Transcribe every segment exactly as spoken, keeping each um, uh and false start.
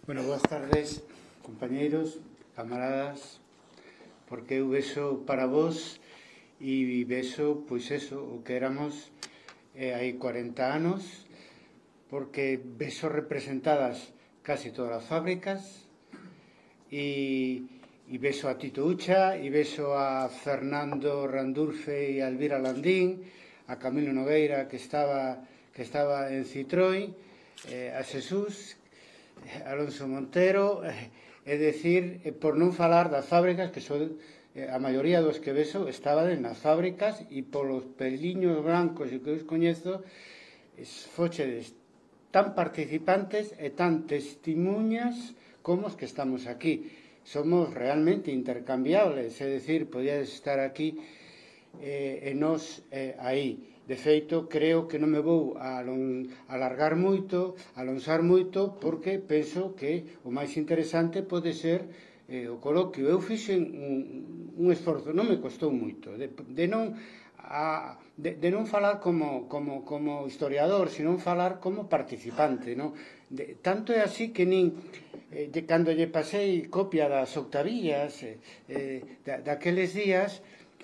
Bueno, boas tardes, compañeiros, camaradas, porque eu vexo para vos e vexo, pois eso, o que éramos eh, hai cuarenta anos, porque vexo representadas casi todas as fábricas e, e vexo a Tito Ucha e vexo a Fernando Randulfe e a Elvira Landín, a Camilo Nogueira que estaba, que estaba en Citroën, eh, a Xesús, Alonso Montero, é dicir, por non falar das fábricas, que son a maioría dos que vexo estaban nas fábricas e polos peliños blancos e que os coñezo fochedes tan participantes e tan testimuñas como os que estamos aquí. Somos realmente intercambiables, é dicir, podíades estar aquí eh, e nós eh, aí. De feito, creo que non me vou a alargar moito, a alonxar moito, porque penso que o máis interesante pode ser eh, o coloquio. Eu fixen un, un esforzo, non me costou moito, de, de, non, a, de, de non falar como, como, como historiador, sino falar como participante. Non? De, tanto é así que nin, eh, de, cando lle pasei copia das octavillas, eh, eh, da, daqueles días,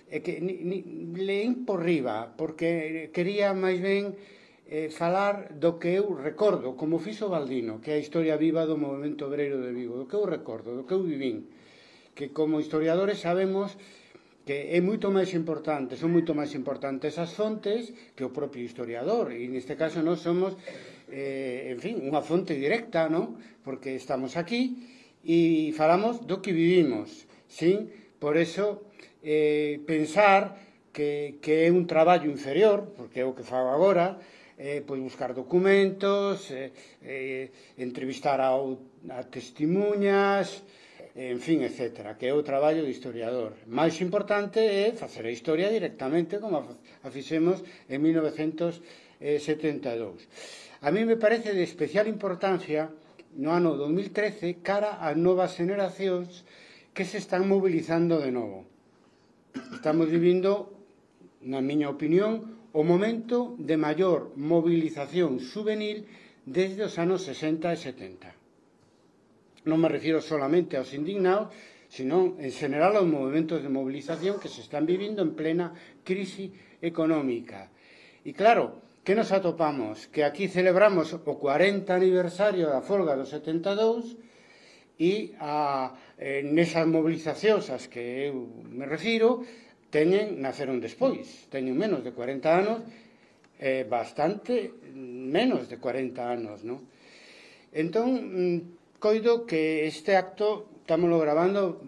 é que ni, ni, leín por riba, porque quería máis ben eh, falar do que eu recordo, como fixo Baldino, que é a historia viva do movemento obreiro de Vigo, do que eu recordo, do que eu vivín, que como historiadores sabemos que é moito máis importante, son moito máis importantes as fontes que o propio historiador, e neste caso nós somos, eh, en fin, unha fonte directa, non? Porque estamos aquí e falamos do que vivimos, sin, por eso, Eh, pensar que, que é un traballo inferior, porque é o que fago agora, eh, pois buscar documentos, eh, eh, entrevistar a, a testimuñas, eh, en fin, etcétera, que é o traballo de historiador. Mais importante é facer a historia directamente, como a fixemos en mil novecentos setenta e dous. A mí me parece de especial importancia no ano dos mil trece cara ás novas generacións que se están mobilizando de novo. Estamos vivindo, na miña opinión, o momento de maior movilización juvenil desde os anos sesenta e setenta. Non me refiro solamente aos indignados, sino en general aos movimentos de movilización que se están vivindo en plena crise económica. E claro, que nos atopamos? Que aquí celebramos o cuarenta aniversario da folga do setenta e dous e a, eh, nesas movilizacións as que eu me refiro teñen, naceron despois, teñen menos de cuarenta anos, eh, bastante menos de cuarenta anos, non? Entón, coido que este acto, estámoslo grabando,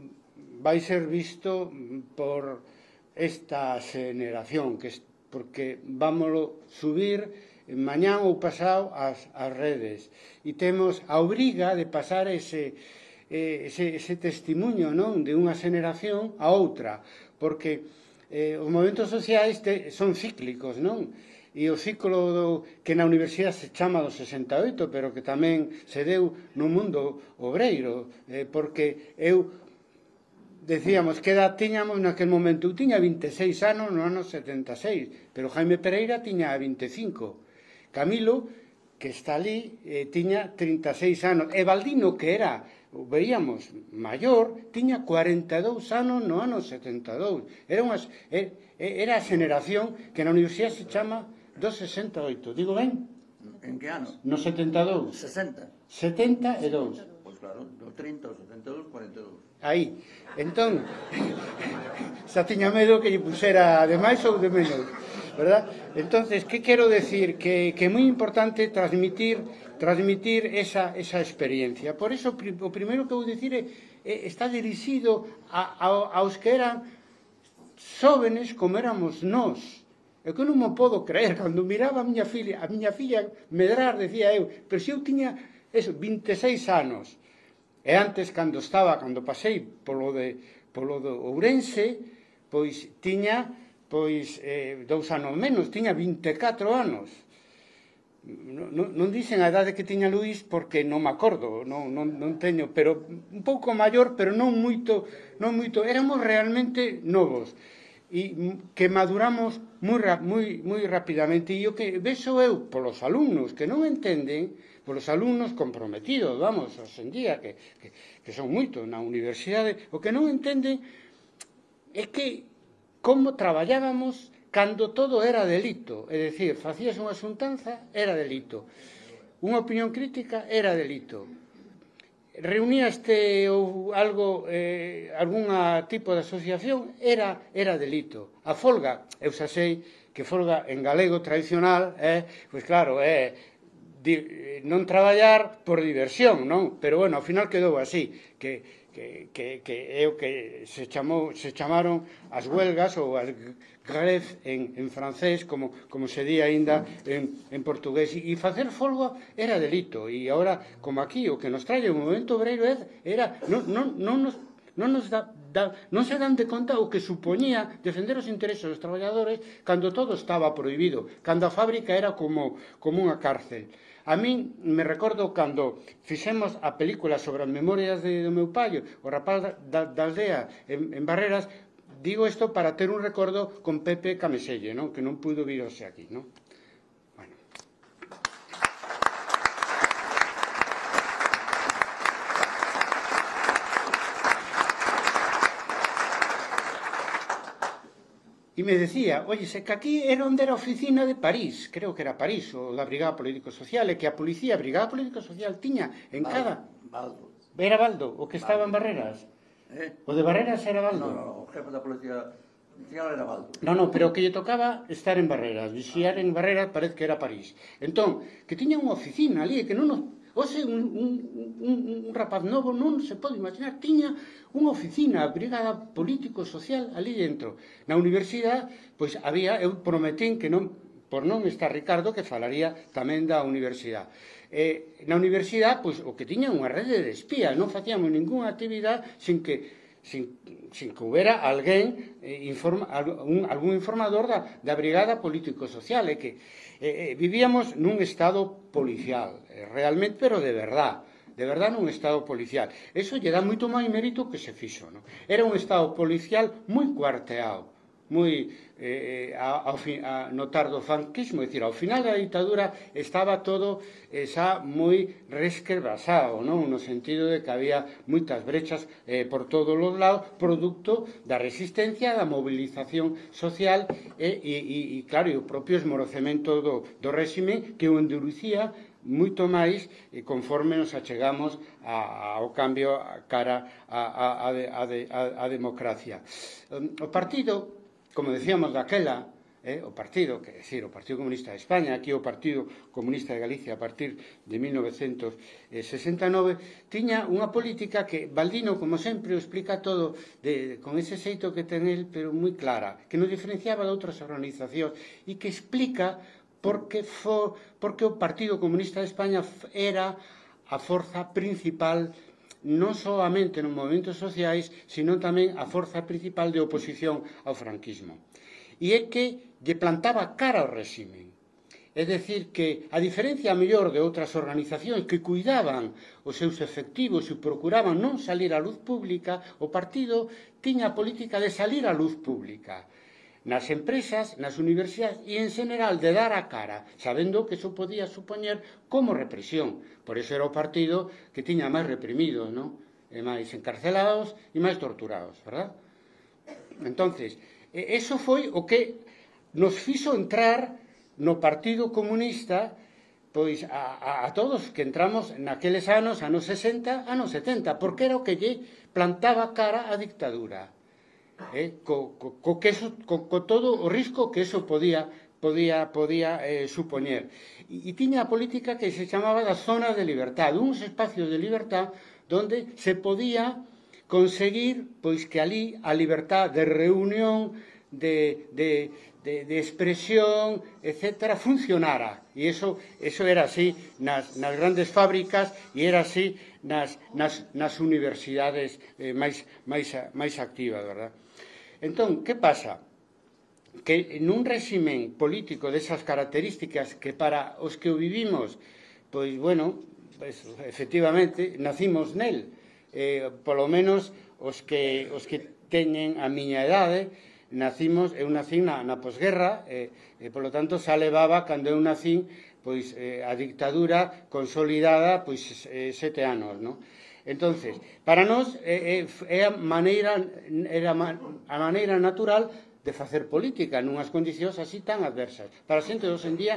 vai ser visto por esta generación, que porque vámoslo subir mañán ou pasado ás, ás redes, e temos a obriga de pasar ese Ese, ese testimonio, non, de unha generación a outra, porque eh, os movimentos sociais te, son cíclicos, non? E o ciclo do, que na universidade se chama do sesenta e oito, pero que tamén se deu no mundo obreiro, eh, porque eu decíamos que edad tiñamos naquel momento. Eu tiña vinte e seis anos no ano setenta e seis, pero Jaime Pereira tiña vinte e cinco. Camilo, que está ali, eh, tiña trinta e seis anos. E Baldino, que era, veíamos, maior, tiña cuarenta e dous anos no ano setenta e dous. Era, unha, era a generación que na universidade se chama do sesenta e oito. Digo ben? En que ano? No setenta e dous. sesenta. setenta e dous. Pois claro, do trinta ao setenta e dous, cuarenta e dous. Aí. Entón, xa tiña medo que lle pusera de máis ou de menos, verdad? Entonces, que quero decir? Que, que é moi importante transmitir transmitir esa, esa experiencia. Por eso, o primeiro que vou dicir é, é está dirixido a, a, aos que eran xóvenes como éramos nós. É que non me podo creer, cando miraba a miña filla, a miña filla medrar, decía eu, pero se eu tiña eso, vinte e seis anos, e antes, cando estaba, cando pasei polo, de, polo do Ourense, pois tiña pois eh, dous anos menos, tiña vinte e catro anos. Non, non dicen a idade que tiña Luís porque non me acordo, non, non, non teño, pero un pouco maior, pero non moito, non moito. Éramos realmente novos e que maduramos moi, moi, moi rapidamente. E o que vexo eu polos alumnos que non entenden, polos alumnos comprometidos, vamos, hoxe en día, que, que, que son moito na universidade. O que non entenden é que como traballábamos cando todo era delito, é dicir, facías unha xuntanza, era delito, unha opinión crítica era delito, reuníaste ou algo, eh, algún tipo de asociación, era, era delito. A folga, eu xa sei que folga en galego tradicional, eh, pois claro, é eh, non traballar por diversión, non? Pero, bueno, ao final quedou así, que, que, que, que é o que se, chamou, se chamaron as huelgas ou as grèves en, en francés, como, como se di aínda en, en portugués. E facer folga era delito. E agora, como aquí, o que nos trae o movimento obreiro era, non, non, non nos, non nos da, da, non se dan de conta o que supoñía defender os intereses dos traballadores cando todo estaba prohibido, cando a fábrica era como, como unha cárcel. A min me recordo cando fixemos a película sobre as memorias de, do meu pai, o rapaz da, da aldea en, en Barreras. Digo isto para ter un recordo con Pepe Cameselle, non? Que non pudo vir hoxe aquí, non? Bueno. E me decía, oye, se que aquí era onde era a oficina de París, creo que era París, ou da Brigada Político-Social, e que a policía, a Brigada Político-Social, tiña en Baldo, cada... Baldo. Era Baldo, o que estaba en Barreras? Eh? O de Barreras era Baldo? No, no, no, o jefe da policía nacional era Baldo. No, no, pero o que lle tocaba estar en Barreras, vixiar en Barreras parece que era París. Entón, que tiña unha oficina ali, que non nos... Ose, un, un, un, un rapaz novo non se pode imaginar, tiña unha oficina, a Brigada Político-Social ali dentro. Na universidade, pois había, eu prometín que non, por non estar Ricardo, que falaría tamén da universidade. Eh, na universidade, pois, o que tiña unha rede de espías, non facíamos ninguna actividade sin que sin, sin que houbera alguén eh, informa, algún, algún informador da, da Brigada Político-Social, e que eh, vivíamos nun estado policial, eh, realmente, pero de verdad, de verdad nun estado policial. Eso lle dá moito máis mérito que se fixo, non? Era un estado policial moi cuarteado, moi eh, a, a, a notar do franquismo, é dicir, ao final da ditadura estaba todo eh, xa moi resquebrasado, non? No sentido de que había moitas brechas eh, por todos os lados, producto da resistencia, da movilización social e, e, e claro, e o propio esmorocemento do, do réxime que o endurecía moito máis e conforme nos achegamos a, ao cambio cara a, a, a, a, a democracia. O partido, como decíamos daquela, eh, o partido, que decir, o Partido Comunista de España, aquí o Partido Comunista de Galicia a partir de mil novecientos sesenta e nove, tiña unha política que Baldino, como sempre, o explica todo de, con ese xeito que ten el, pero moi clara, que nos diferenciaba de outras organizacións e que explica porque, for, porque o Partido Comunista de España era a forza principal non solamente nos movimentos sociais, sino tamén a forza principal de oposición ao franquismo. E é que lle plantaba cara ao réxime. É dicir, que a diferencia mellor de outras organizacións que cuidaban os seus efectivos e procuraban non salir á luz pública, o partido tiña a política de salir á luz pública nas empresas, nas universidades e en general de dar a cara, sabendo que iso podía supoñer como represión. Por iso era o partido que tiña máis reprimidos, non? E máis encarcelados e máis torturados, verdad? Entonces, eso foi o que nos fixo entrar no Partido Comunista, pois a, a, a todos que entramos naqueles anos, anos sesenta, anos setenta, porque era o que lle plantaba cara á dictadura. Eh, co, co, co, que eso, co, co todo o risco que eso podía podía, podía eh, supoñer. E, e tiña a política que se chamaba das zonas de libertad, uns espacios de libertad donde se podía conseguir pois que ali a libertad de reunión, de, de, de, de expresión, etcétera, funcionara. E eso, eso era así nas, nas grandes fábricas e era así nas, nas, nas universidades eh, máis, máis, máis activas, verdad? Entón, que pasa? Que nun réximen político desas características que para os que o vivimos, pois, bueno, pues, efectivamente, nacimos nel, eh, polo menos os que, os que teñen a miña idade, nacimos, eu nací na, na posguerra, e, eh, polo tanto, xa levaba, cando eu nací, pois eh, a dictadura consolidada pois eh, sete anos, non? Entonces, para nós é, é a maneira era a maneira natural de facer política nunhas condicións así tan adversas. Para a xente de hoxe en día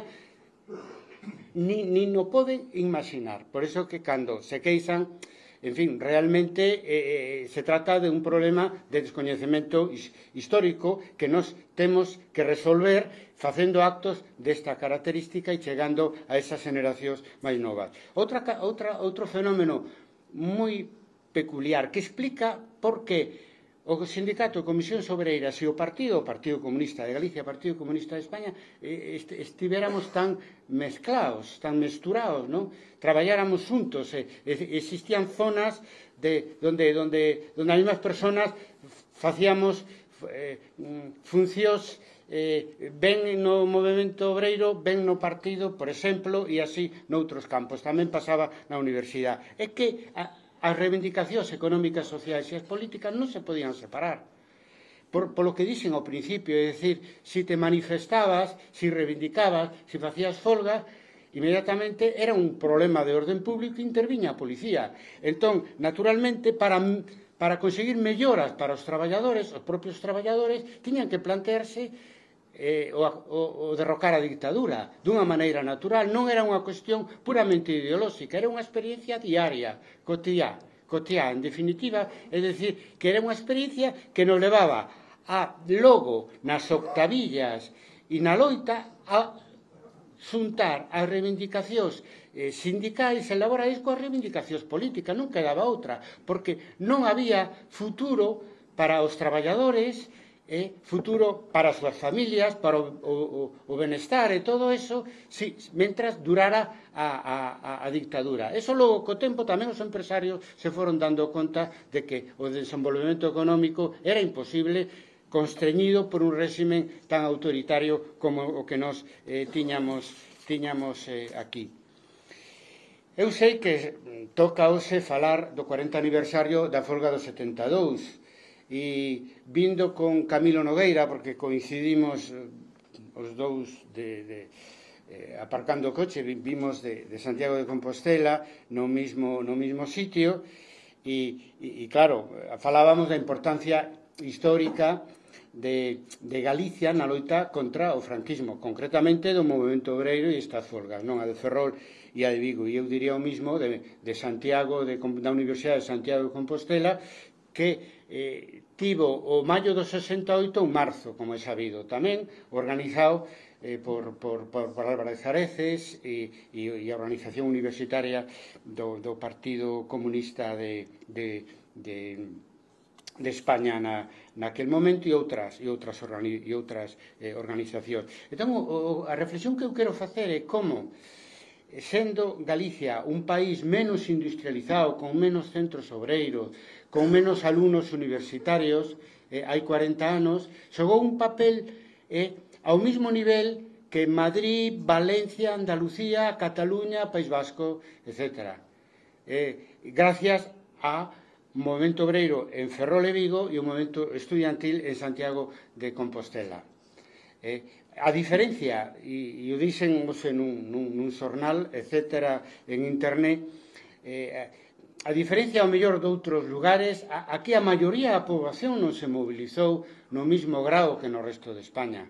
ni, ni no poden imaginar. Por eso que cando se queixan, en fin, realmente eh, se trata de un problema de descoñecemento histórico que nos temos que resolver facendo actos desta característica e chegando a esas generacións máis novas. Outra, outra, outro fenómeno moi peculiar que explica por que o Sindicato de Comisións Obreiras e o Partido, o Partido Comunista de Galicia, o Partido Comunista de España, estivéramos tan mezclados, tan mesturados, non? Traballáramos xuntos, existían zonas de, donde, donde, donde as mesmas persoas facíamos eh, funcións eh, ben no movimento obreiro, ben no partido, por exemplo, e así noutros campos. Tamén pasaba na universidade. É que a, as reivindicacións económicas, sociais e as políticas non se podían separar. Por, por lo que dixen ao principio, é dicir, se te manifestabas, se reivindicabas, se facías folga, inmediatamente era un problema de orden público e interviña a policía. Entón, naturalmente, para, para conseguir melloras para os traballadores, os propios traballadores, tiñan que plantearse eh, o, o, o derrocar a dictadura dunha maneira natural. Non era unha cuestión puramente ideolóxica, era unha experiencia diaria, cotiá, cotiá, en definitiva, é dicir, que era unha experiencia que nos levaba a, logo, nas octavillas e na loita, a xuntar as reivindicacións eh, sindicais e laborais coas reivindicacións políticas. Non quedaba outra, porque non había futuro para os traballadores, eh, futuro para as súas familias, para o, o, o benestar e todo eso, si, mentras durara a, a, a dictadura. Eso logo, co tempo, tamén os empresarios se foron dando conta de que o desenvolvemento económico era imposible constreñido por un réximen tan autoritario como o que nos eh, tiñamos, tiñamos eh, aquí. Eu sei que toca hoxe falar do cuarenta aniversario da folga do setenta e dous e vindo con Camilo Nogueira, porque coincidimos os dous de, de, eh, aparcando o coche, vimos de, de Santiago de Compostela no mismo, no mismo sitio e, e, e claro, falábamos da importancia histórica De, de Galicia na loita contra o franquismo, concretamente do movimento obreiro e estas folgas, non a de Ferrol e a de Vigo. E eu diría o mismo de, de Santiago, de, da Universidade de Santiago de Compostela, que eh, tivo o maio do sesenta e oito un marzo, como é sabido, tamén organizado eh, por, por, por, por Álvarez Areces e, e, e a organización universitaria do, do Partido Comunista de, de, de de España na, naquel momento e outras e outras, organi, e outras eh, organizacións. Entón, o, a reflexión que eu quero facer é como, sendo Galicia un país menos industrializado, con menos centros obreiros, con menos alumnos universitarios, eh, hai cuarenta anos, xogou un papel eh, ao mesmo nivel que Madrid, Valencia, Andalucía, Cataluña, País Vasco, etcétera. Eh, gracias a movimento obreiro en Ferrol e Vigo e o movimento estudiantil en Santiago de Compostela. Eh, a diferencia, e, e o dixen nun, nun, nun xornal, etcétera, en internet, eh, a diferencia ao mellor de outros lugares, a, aquí a maioría da poboación non se mobilizou no mismo grado que no resto de España.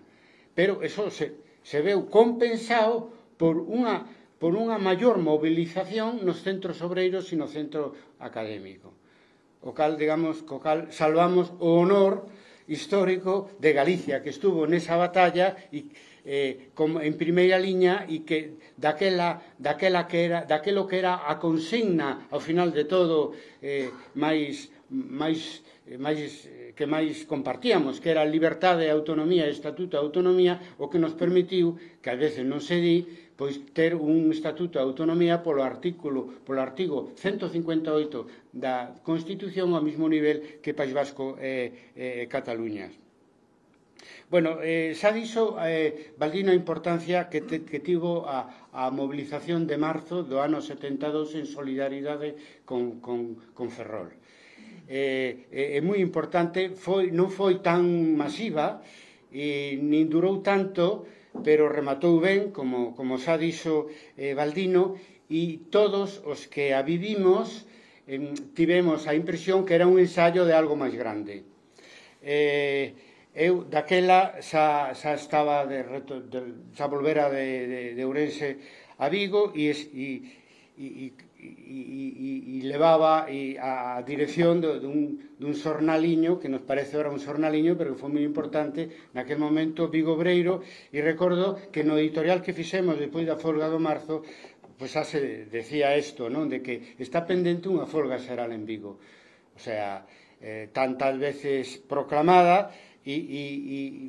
Pero eso se, se veu compensado por unha, por unha maior movilización nos centros obreiros e no centro académico. O cal, digamos, co cal salvamos o honor histórico de Galicia, que estuvo nesa batalla e, eh, como en primeira liña e que daquela, daquela que era, daquelo que era a consigna ao final de todo eh, máis, máis, máis, que máis compartíamos, que era a liberdade, a autonomía e estatuto de autonomía, o que nos permitiu, que a veces non se di, pois ter un estatuto de autonomía polo artículo, polo artigo ciento cincuenta e oito da Constitución ao mesmo nivel que País Vasco e eh, eh, Cataluña. Bueno, eh, xa dixo eh, Baldino a importancia que, te, que tivo a, a movilización de marzo do ano setenta e dous en solidaridade con, con, con Ferrol. Eh, é, é moi importante, foi, non foi tan masiva e nin durou tanto, pero rematou ben, como, como xa dixo eh, Baldino, e todos os que a vivimos eh, tivemos a impresión que era un ensayo de algo máis grande. Eh, eu daquela xa, xa estaba de, de, xa volvera de, de, de Ourense a Vigo e, e E, e, e, e levaba e a dirección de, de, un, de un xornaliño que nos parece ahora un xornaliño, pero que foi moi importante naquel momento, Vigo Obreiro, e recordo que no editorial que fixemos despois da folga do marzo, pois xa se decía isto, non? De que está pendente unha folga xeral en Vigo, o sea, eh, tantas veces proclamada e, e,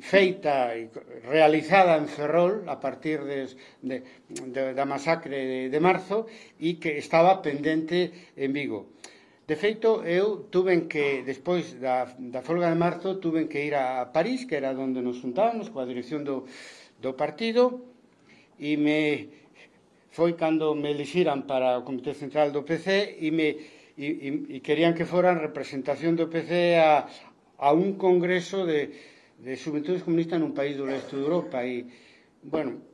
e feita e realizada en Ferrol a partir de, de, de, da masacre de, de marzo e que estaba pendente en Vigo. De feito, eu tuve que, despois da, da folga de marzo, tuve que ir a París, que era onde nos juntábamos coa dirección do, do partido, e me foi cando me elixiran para o Comité Central do P C e me e, e, e querían que foran representación do P C a a un congreso de, de xuventudes comunistas nun país do leste de Europa e, bueno,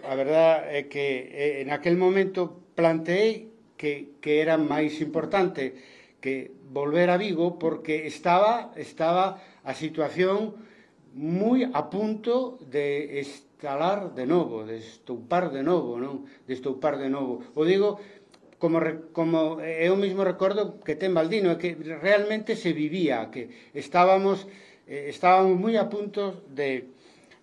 a verdad é que eh, en aquel momento planteei que, que era máis importante que volver a Vigo porque estaba, estaba a situación moi a punto de estalar de novo, de estoupar de novo, non? De estoupar de novo. O digo Como, como eu mesmo recordo que ten Baldino, é que realmente se vivía, que estábamos, eh, estábamos moi a punto de,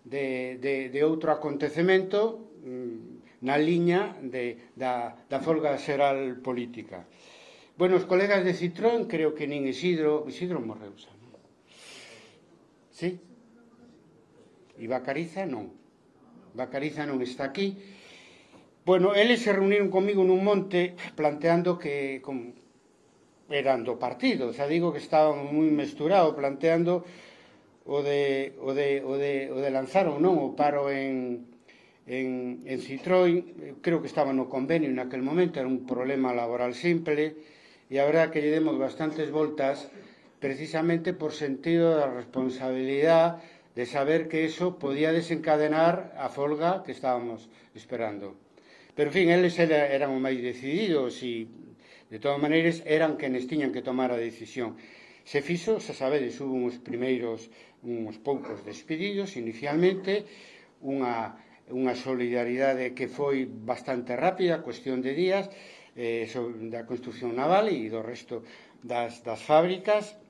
de, de, de outro acontecemento mm, na liña de, da, da folga xeral política. Bueno, os colegas de Citroën, creo que nin Isidro, Isidro morreu xa, non? Sí? E Bacariza non. Bacariza non está aquí. Bueno, eles se reuniron comigo nun monte planteando que como, eran do partido, xa digo que estaban moi mesturados, planteando o de, o de, o de, o de lanzar ou non o paro en, en, en Citroën. Creo que estaba no convenio naquel momento, era un problema laboral simple, e a verdad que lle demos bastantes voltas precisamente por sentido da responsabilidade de saber que eso podía desencadenar a folga que estábamos esperando. Pero, en fin, eles eran os máis decididos e, de todas maneiras, eran quenes tiñan que tomar a decisión. Se fixo, xa sabedes, hubo uns primeiros, uns poucos despedidos, inicialmente, unha, unha solidaridade que foi bastante rápida, cuestión de días, eh, da construcción naval e do resto das, das fábricas,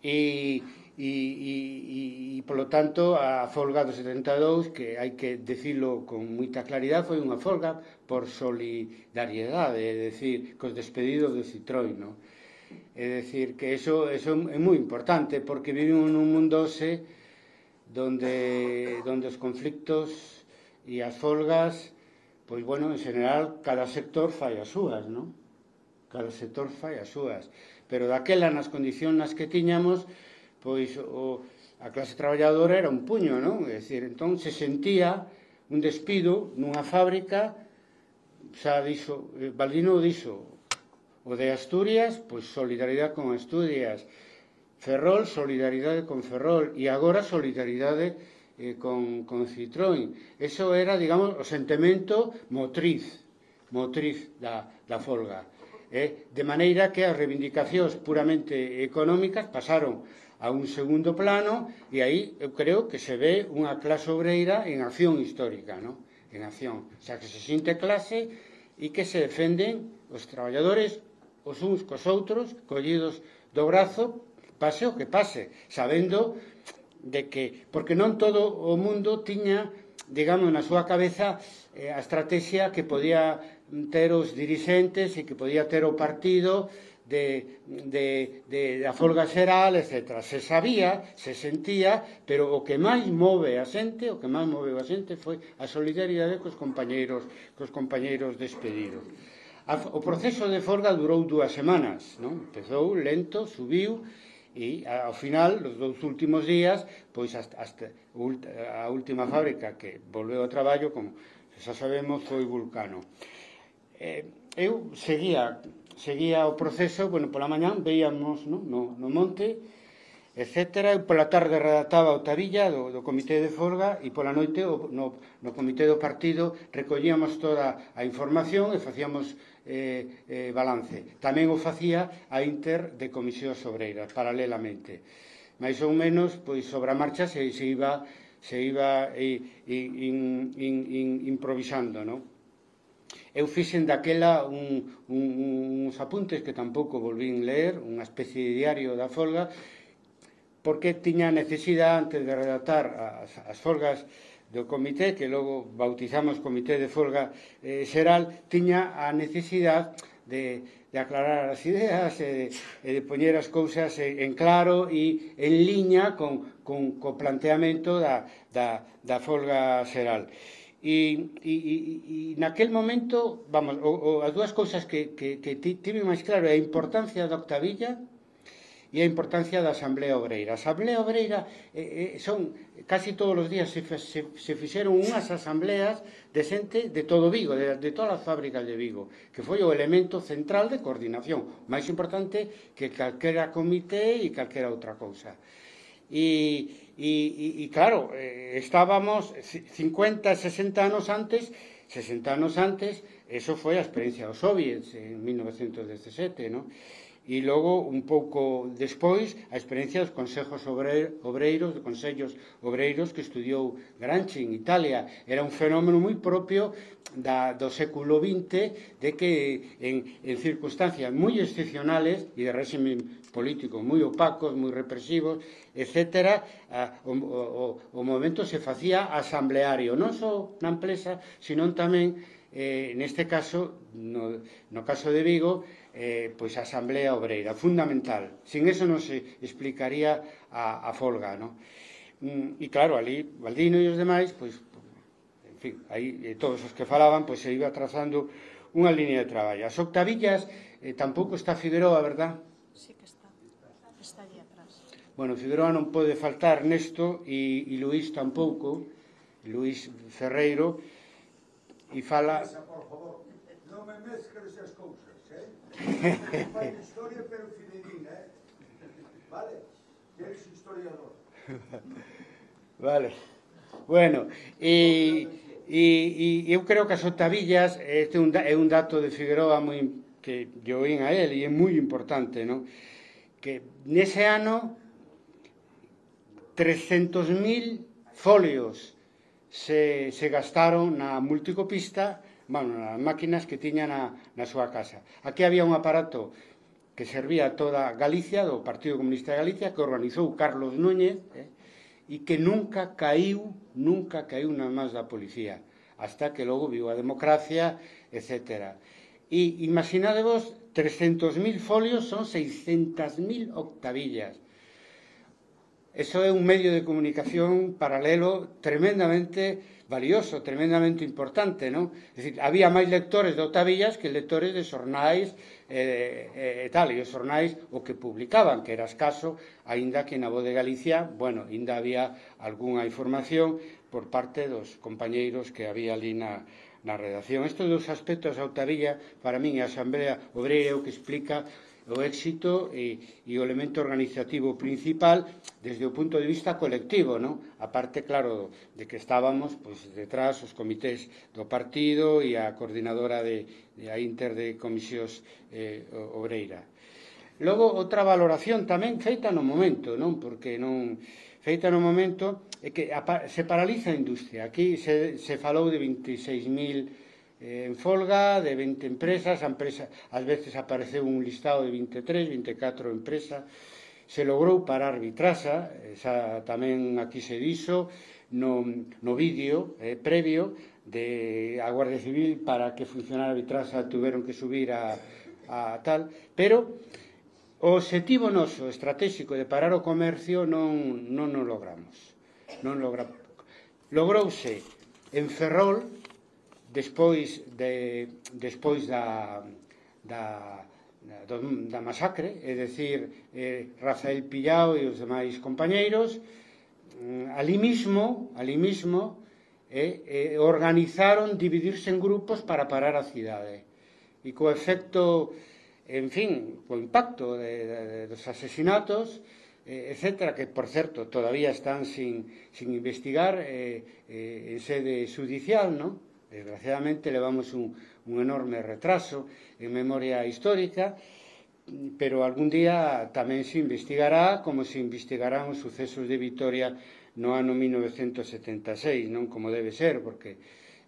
e... E, e, e, polo tanto, a folga do setenta e dous, que hai que decirlo con moita claridade, foi unha folga por solidariedade, é dicir, cos despedidos de Citroën, no? É dicir, que eso, eso é moi importante, porque vivimos nun mundo hoxe donde, donde os conflictos e as folgas, pois, bueno, en general, cada sector fai as súas, non? Cada sector fai as súas. Pero daquela, nas condicións nas que tiñamos, pois o, a clase traballadora era un puño, non? É dicir, entón se sentía un despido nunha fábrica, xa dixo, Baldino dixo, o de Asturias, pois solidaridade con Asturias, Ferrol, solidaridade con Ferrol, e agora solidaridade eh, con, con Citroën. Eso era, digamos, o sentimento motriz, motriz da, da folga. Eh? De maneira que as reivindicacións puramente económicas pasaron a un segundo plano, e aí eu creo que se ve unha clase obreira en acción histórica, ¿no? En acción, o sea, que se sinte clase e que se defenden os traballadores os uns cos outros, collidos do brazo, pase o que pase, sabendo de que, porque non todo o mundo tiña, digamos, na súa cabeza eh, a estrategia que podía ter os dirixentes e que podía ter o partido de, de, de, da folga xeral, etcétera. Se sabía, se sentía, pero o que máis move a xente, o que máis moveu a xente foi a solidaridade cos compañeiros, cos compañeiros despedidos. A, o proceso de folga durou dúas semanas, non? Empezou lento, subiu, e ao final, os dous últimos días, pois hasta, hasta a última fábrica que volveu ao traballo, como xa sabemos, foi Vulcano. Eh, eu seguía seguía o proceso, bueno, pola mañán veíamos, no, no, no monte, etcétera. Eu pola tarde redactaba o tabilla do, do comité de folga e pola noite o, no, no comité do partido recollíamos toda a información e facíamos eh, eh, balance. Tamén o facía a Inter de Comisións Obreiras, paralelamente. Mais ou menos, pois, sobre a marcha se, se iba, se iba in, in, in, in, improvisando, non? Eu fixen daquela un, un, uns apuntes que tampouco volvín ler, unha especie de diario da folga, porque tiña necesidade, antes de redactar as, as folgas do comité, que logo bautizamos Comité de Folga eh, Xeral, tiña a necesidade de, de aclarar as ideas e de, e de poñer as cousas en, en claro e en liña con, con, co planteamento da, da, da folga xeral. E, e, e naquel momento, vamos, o, o, as dúas cousas que, que, que tive máis claro é a importancia da octavilla e a importancia da Asamblea Obreira. A Asamblea Obreira eh, eh, son, casi todos os días se, se, se fixeron unhas asambleas de xente de todo Vigo, de, de todas as fábricas de Vigo, que foi o elemento central de coordinación, máis importante que calquera comité e calquera outra cousa. E, e, e claro, eh, estábamos cincuenta, sesenta anos antes, sesenta anos antes, eso foi a experiencia dos soviets en mil novecientos dezasete, non? E logo, un pouco despois, a experiencia dos consejos obreiros, dos consellos obreiros que estudiou Gramsci en Italia. Era un fenómeno moi propio da, do século vinte, de que en, en circunstancias moi excepcionales e de régimen político moi opacos, moi represivos, etcétera, o, o, o momento se facía asambleario, non só na empresa, sino tamén, eh, neste caso, no, no caso de Vigo, eh, pois a Asamblea Obreira, fundamental. Sin eso non se explicaría a, a folga, non? Mm, e claro, ali, Baldino e os demais, pois, en fin, aí eh, todos os que falaban, pois se iba trazando unha línea de traballo. As octavillas, eh, tampouco está Figueroa, verdad? Sí que está, está allí atrás. Bueno, Figueroa non pode faltar nesto, e, e Luís tampouco, Luís Ferreiro, e fala... Por favor, non me mezcles as cousas, eh? Fai historia, pero fidedigna, eh? Vale? Eres historiador. Vale. Bueno, e, e, e eu creo que as octavillas, este é un, é un dato de Figueroa moi, que yo oín a él, e é moi importante, non? Que nese ano trescentos mil folios se, se gastaron na multicopista, bueno, nas máquinas que tiña na, na súa casa. Aquí había un aparato que servía a toda Galicia, do Partido Comunista de Galicia, que organizou Carlos Núñez, eh, e que nunca caiu, nunca caiu nas mans da policía, hasta que logo viu a democracia, etcétera. E imaginadevos, trescentos mil folios son seiscentas mil octavillas. Eso é un medio de comunicación paralelo tremendamente valioso, tremendamente importante, non? É dicir, había máis lectores de octavillas que lectores de xornais e eh, eh, tal, e os xornais o que publicaban, que era escaso, aínda que na Voz de Galicia, bueno, aínda había algunha información por parte dos compañeiros que había ali na, na redacción. Estes dos aspectos da octavilla, para min, a Asamblea Obreira é o que explica o éxito e, e o elemento organizativo principal desde o punto de vista colectivo, non? A parte, claro, de que estábamos pois, detrás os comités do partido e a coordinadora de, de a Inter de Comisións eh, Obreira. Logo, outra valoración tamén feita no momento, non? Porque non feita no momento é que se paraliza a industria. Aquí se, se falou de veintiséis mil en folga, de vinte empresas, a empresa, ás veces apareceu un listado de vinte e tres, vinte e catro empresas, se logrou parar Vitrasa, esa tamén aquí se dixo, no, no vídeo eh, previo de a Guardia Civil para que funcionara Vitrasa tuveron que subir a, a tal, pero o obxectivo noso estratégico de parar o comercio non, non o logramos. Non logra... Logrouse en Ferrol, despois de despois da da, da, da masacre, é dicir, eh, Rafael Pillao e os demais compañeiros, eh, ali mismo, ali mismo eh, eh, organizaron dividirse en grupos para parar a cidade. E co efecto, en fin, co impacto de, de, de, dos asesinatos, eh, etcétera, que, por certo, todavía están sin, sin investigar eh, eh, en sede judicial, ¿no? Desgraciadamente levamos un, un enorme retraso en memoria histórica, pero algún día tamén se investigará como se investigarán os sucesos de Vitoria no ano mil novecentos setenta e seis, non como debe ser, porque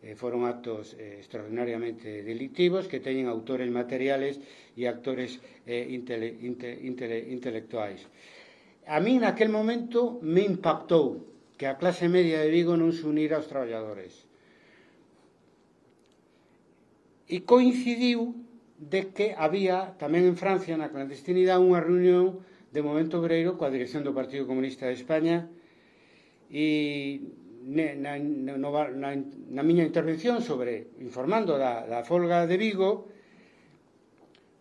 eh, foron actos eh, extraordinariamente delictivos que teñen autores materiales e actores eh, intele, inte, intele, intelectuais. A mí naquel momento me impactou que a clase media de Vigo non se unira aos traballadores. E coincidiu de que había tamén en Francia, na clandestinidade, unha reunión de Movemento Obreiro coa dirección do Partido Comunista de España, e na, na, na, na miña intervención sobre informando da, da folga de Vigo,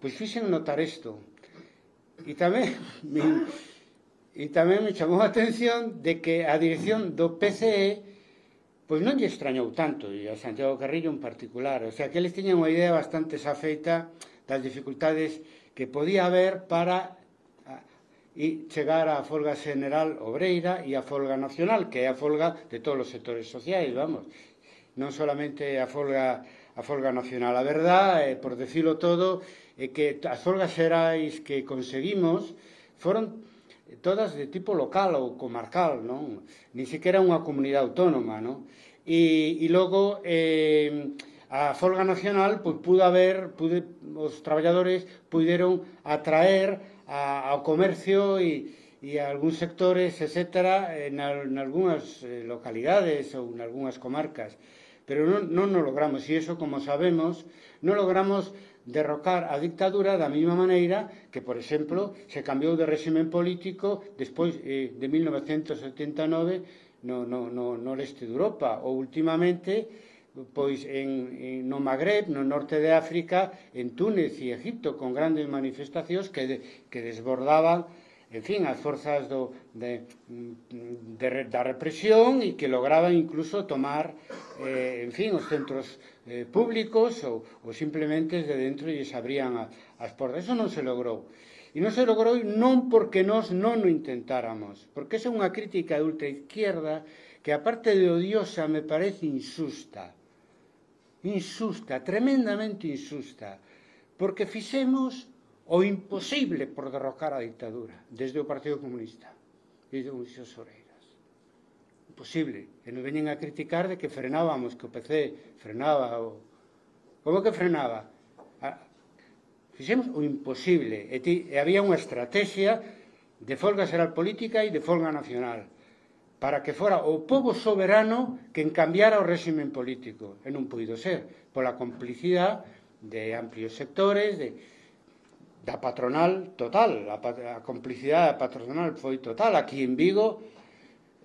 pois fixen notar isto. E tamén me, e tamén me chamou a atención de que a dirección do P C E pois non lle extrañou tanto, e a Santiago Carrillo en particular. O sea, que eles tiñan unha idea bastante safeita das dificultades que podía haber para a, e chegar á folga general obreira e á folga nacional, que é a folga de todos os sectores sociais, vamos. Non solamente a folga, a folga nacional. A verdade, por decirlo todo, é que as folgas xerais que conseguimos foron todas de tipo local ou comarcal, non? Ni sequera unha comunidade autónoma, non? E, e logo eh, a folga nacional pois, pudo haber, pude, os traballadores puderon atraer a, ao comercio e, e a algúns sectores, etcétera, en, en algunhas localidades ou en algunhas comarcas. Pero non, non nos logramos, e iso, como sabemos, non logramos derrocar a dictadura da mesma maneira que, por exemplo, se cambiou de réximen político despois eh, de mil novecentos setenta e nove no, no, no, no leste de Europa, ou últimamente pois en, en, no Magreb, no norte de África, en Túnez e Egipto, con grandes manifestacións que, de, que desbordaban, en fin, as forzas do, de, de, da represión e que lograban incluso tomar, eh, en fin, os centros eh, públicos ou, ou simplemente desde dentro e se abrían a, as portas. Eso non se logrou. E non se logrou non porque nós non o intentáramos, porque esa é unha crítica de ultraizquierda que, aparte de odiosa, me parece insusta. Insusta, tremendamente insusta, porque fixemos o imposible por derrocar a dictadura desde o Partido Comunista e de Comisións Obreiras. Imposible. E nos veñen a criticar de que frenábamos, que o P C frenaba. O... Como que frenaba? A... Fixemos o imposible. E, ti, e había unha estrategia de folga xeral política e de folga nacional para que fora o pobo soberano que encambiara o réximen político. E non puido ser, pola complicidade de amplios sectores, de, da patronal total. A, a complicidade da patronal foi total. Aquí en Vigo,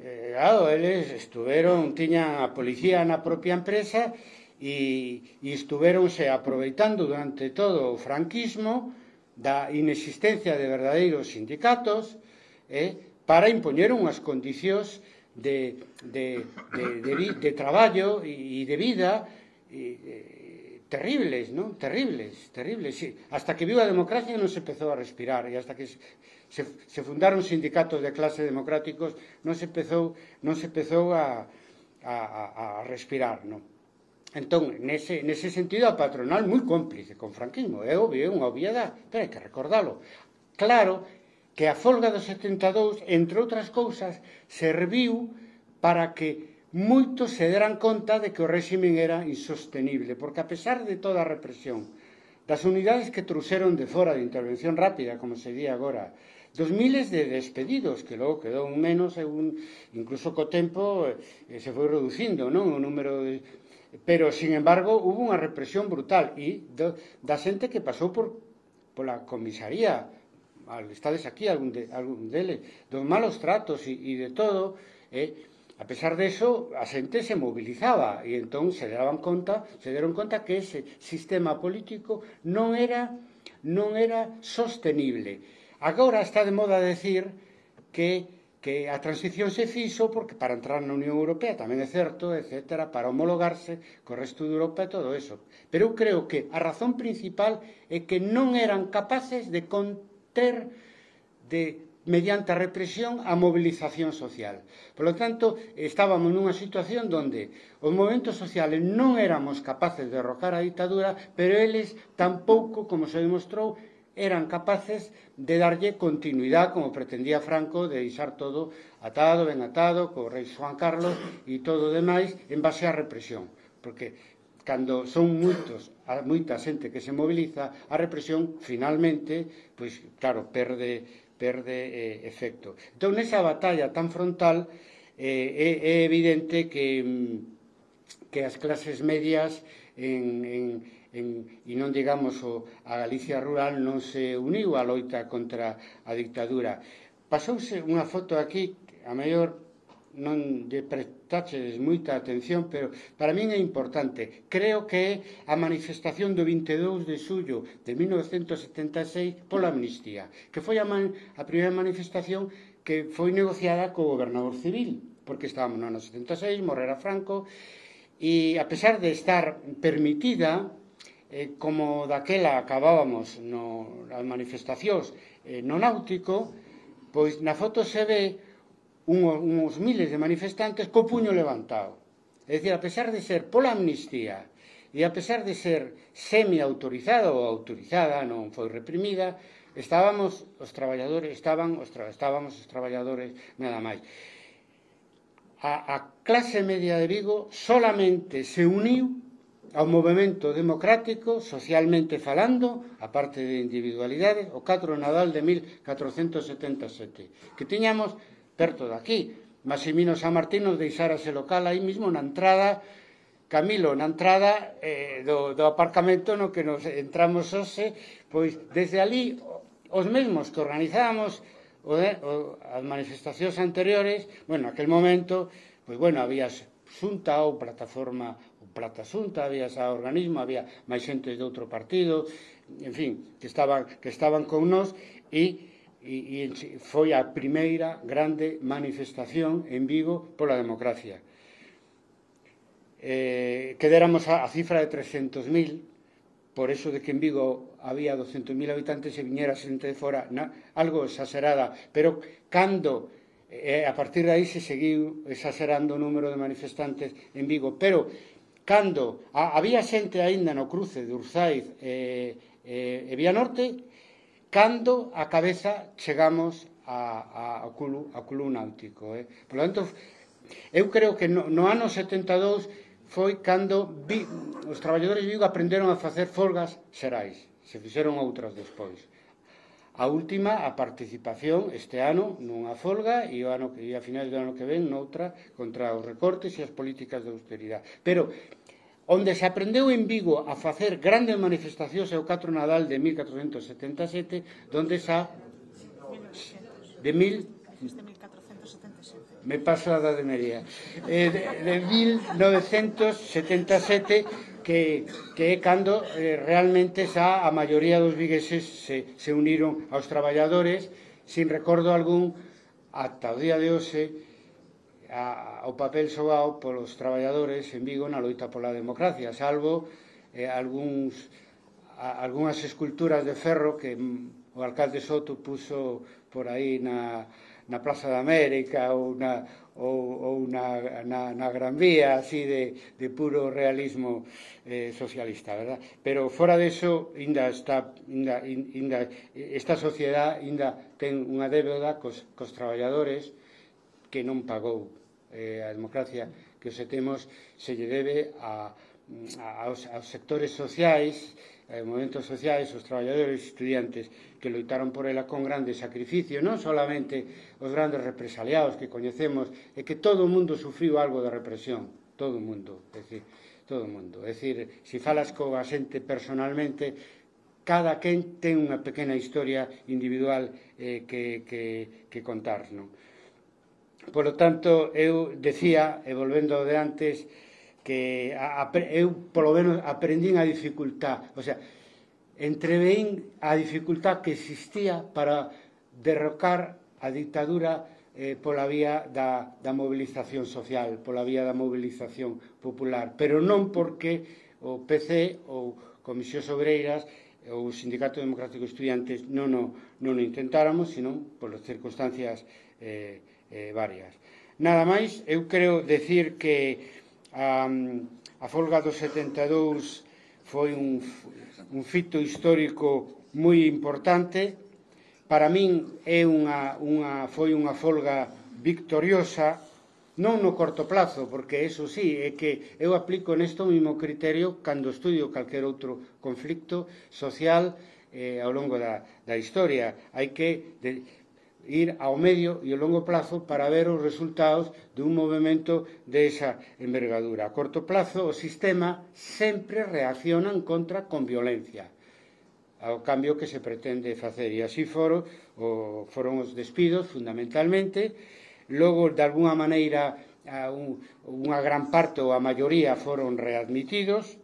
eh, claro, eles estuveron, tiñan a policía na propia empresa e, e estuveronse aproveitando durante todo o franquismo da inexistencia de verdadeiros sindicatos eh, para impoñer unhas condicións de, de, de, de, de traballo e de vida e, terribles, non? Terribles, terribles, sí. Hasta que viu a democracia non se empezou a respirar, e hasta que se, se, se fundaron sindicatos de clase democráticos non se empezou, non se empezou a, a, a respirar, non? Entón, nese, nese sentido, a patronal moi cómplice con franquismo, é obvio, é unha obviedade, pero hai que recordalo. Claro que a folga do setenta e dous, entre outras cousas, serviu para que moitos se deran conta de que o réximen era insostenible, porque a pesar de toda a represión, das unidades que trouxeron de fora de intervención rápida, como se di agora, dos miles de despedidos, que logo quedou un menos, un, incluso co tempo eh, se foi reducindo, non, o número de... Pero, sin embargo, hubo unha represión brutal e do, da xente que pasou por pola comisaría, estades aquí, algún, de, algún deles, dos malos tratos e, e de todo, eh, a pesar de eso, a xente se mobilizaba e entón se daban conta, se deron conta que ese sistema político non era, non era sostenible. Agora está de moda decir que que a transición se fixo porque para entrar na Unión Europea tamén é certo, etcétera, para homologarse co resto de Europa e todo eso. Pero eu creo que a razón principal é que non eran capaces de conter, de mediante a represión a movilización social. Por lo tanto, estábamos nunha situación donde os movimentos sociales non éramos capaces de derrocar a ditadura, pero eles tampouco, como se demostrou, eran capaces de darlle continuidade, como pretendía Franco, de deixar todo atado, ben atado, co rei Juan Carlos e todo o demais, en base á represión. Porque cando son moitos, moita xente que se moviliza, a represión, finalmente, pois, claro, perde perde eh, efecto. Entón, nesa batalla tan frontal, eh, é, é evidente que, que as clases medias en, en, en, e non digamos o, a Galicia rural non se uniu á loita contra a dictadura. Pasouse unha foto aquí, a mellor non lle prestaches moita atención, pero para min é importante. Creo que é a manifestación do vinte e dous de xullo de mil novecentos setenta e seis pola amnistía, que foi a, man, a primeira manifestación que foi negociada co gobernador civil, porque estábamos no ano setenta e seis, morrera Franco, e a pesar de estar permitida, eh, como daquela acabábamos no, nas manifestacións eh, no náutico, pois na foto se ve Unhos, unhos miles de manifestantes co puño levantado. É dicir, a pesar de ser pola amnistía e a pesar de ser semi-autorizada ou autorizada, non foi reprimida, estábamos os traballadores, estaban os tra, estábamos os traballadores nada máis. A, a clase media de Vigo solamente se uniu ao movimento democrático, socialmente falando, a parte de individualidades, o catro de Nadal de mil catrocentos setenta e sete, que tiñamos perto de aquí. Maximino San Martín nos deixara ese local aí mismo na entrada, Camilo, na entrada eh, do, do aparcamento no que nos entramos hoxe, pois desde ali os mesmos que organizábamos o, o, as manifestacións anteriores, bueno, aquel momento, pois bueno, había xunta ou plataforma, ou plata xunta, había ese organismo, había máis xente de outro partido, en fin, que estaban, que estaban con nós, e E, e foi a primeira grande manifestación en Vigo pola democracia. Eh, que déramos a, a cifra de trescentos mil, por eso de que en Vigo había douscentos mil habitantes e viñera xente de fora, na, algo exagerada, pero cando eh, a partir de aí se seguiu exagerando o número de manifestantes en Vigo, pero cando a, había xente aínda no cruce de Urzaiz e, e, e Vianorte, cando a cabeza chegamos a, a, a, Culu, a Culu Náutico. Eh? Por lo tanto, eu creo que no, no ano setenta e dous foi cando vi, os traballadores de Vigo aprenderon a facer folgas xerais. Se fixeron outras despois. A última, a participación este ano nunha folga e, o ano, e a finais do ano que ven noutra contra os recortes e as políticas de austeridade. Pero onde se aprendeu en Vigo a facer grandes manifestacións é o catro de Nadal de mil catrocentos setenta e sete, donde xa de mil me paso a da de Mería eh, de, de mil novecentos setenta e sete, que, que é cando eh, realmente xa a maioría dos vigueses se, se uniron aos traballadores, sin recordo algún ata o día de hoxe, a, o papel xogado polos traballadores en Vigo na loita pola democracia, salvo eh, algúns, a, algúnas esculturas de ferro que mm, o alcalde Soto puso por aí na, na Plaza da América ou na, ou, ou na, na, na Gran Vía, así de, de puro realismo eh, socialista, verdad? Pero fora deso, ainda está, ainda, ainda, esta sociedade ainda ten unha débeda cos, cos traballadores que non pagou. Eh, a democracia que os temos se lle debe a, a, aos, aos sectores sociais, eh, movimentos sociais, os traballadores e estudiantes que loitaron por ela con grande sacrificio, non solamente os grandes represaliados que coñecemos, e que todo o mundo sufriu algo de represión, todo o mundo, é dicir, todo o mundo. É dicir, se falas coa xente personalmente, cada quen ten unha pequena historia individual eh, que, que, que contar, non? Por lo tanto, eu decía, e volvendo ao de antes, que a, a, eu, polo menos, aprendín a dificultad. O sea, entreveín a dificultad que existía para derrocar a dictadura eh, pola vía da, da movilización social, pola vía da movilización popular. Pero non porque o P C ou Comisións Obreiras o Sindicato Democrático de Estudiantes non o, non o intentáramos, senón por circunstancias eh, eh, varias. Nada máis, eu creo decir que a, a folga do setenta e dous foi un, un fito histórico moi importante. Para min é unha, unha, foi unha folga victoriosa, non no corto plazo, porque eso sí, é que eu aplico nesto mesmo criterio cando estudio calquer outro conflicto social eh, ao longo da, da historia. Hai que de, ir ao medio e ao longo plazo para ver os resultados dun movimento desa envergadura. A corto plazo, o sistema sempre reacciona en contra con violencia ao cambio que se pretende facer, e así foron, o, foron os despidos fundamentalmente. Logo, de alguna maneira, un, unha gran parte ou a maioría foron readmitidos.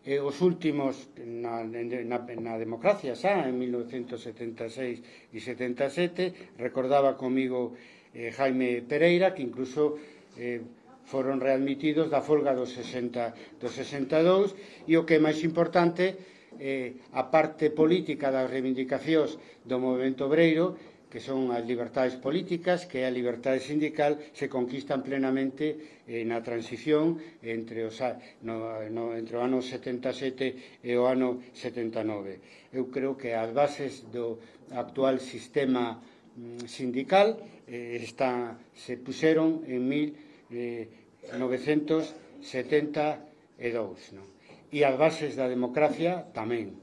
E os últimos na, na, na democracia xa, en mil novecentos setenta e seis e setenta e sete, recordaba comigo eh, Jaime Pereira, que incluso eh, foron readmitidos da folga do sesenta e dous, e o que é máis importante, eh, a parte política das reivindicacións do movimento obreiro, que son as libertades políticas, que é a liberdade sindical, se conquistan plenamente eh, na transición entre, os, no, no, entre o ano setenta e sete e o ano setenta e nove. Eu creo que as bases do actual sistema mm, sindical eh, está, se puseron en mil novecentos setenta e dous, non? E as bases da democracia tamén,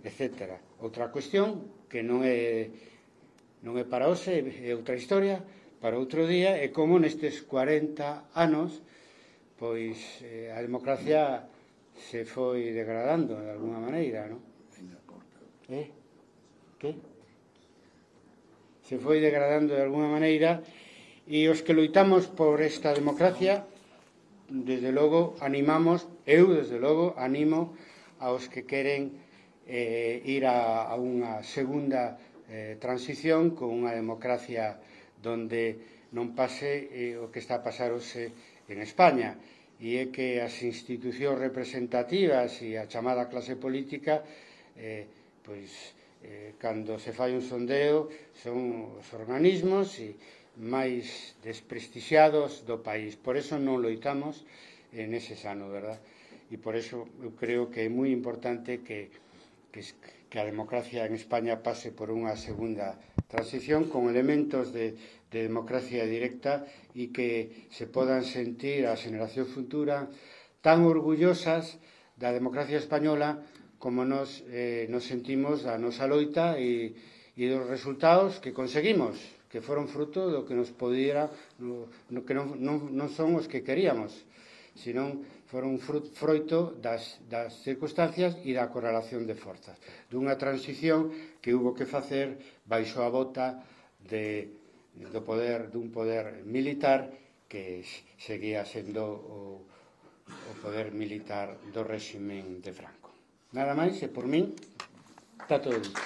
etcétera. Outra cuestión que non é non é para hoxe, é outra historia, para outro día, é como nestes cuarenta anos pois eh, a democracia se foi degradando de alguna maneira, non? Eh? Que? Se foi degradando de alguna maneira, e os que loitamos por esta democracia, desde logo animamos, eu desde logo animo aos que queren eh, ir a, a unha segunda eh, transición con unha democracia donde non pase eh, o que está a pasar hoxe en España, e é que as institucións representativas e a chamada clase política eh, pois eh, cando se fai un sondeo son os organismos e máis desprestixiados do país. Por eso non loitamos en ese sano, verdad? E por eso eu creo que é moi importante que, que, que a democracia en España pase por unha segunda transición con elementos de, de democracia directa e que se podan sentir a xeración futura tan orgullosas da democracia española como nos, eh, nos sentimos da nosa loita e, e dos resultados que conseguimos, que foron fruto do que nos podía, no, no, que non, non, non son os que queríamos, senón foron froito das, das circunstancias e da correlación de forzas, dunha transición que hubo que facer baixo a bota de, do poder, dun poder militar que seguía sendo o, o poder militar do réximen de Franco. Nada máis, e por min está todo dito.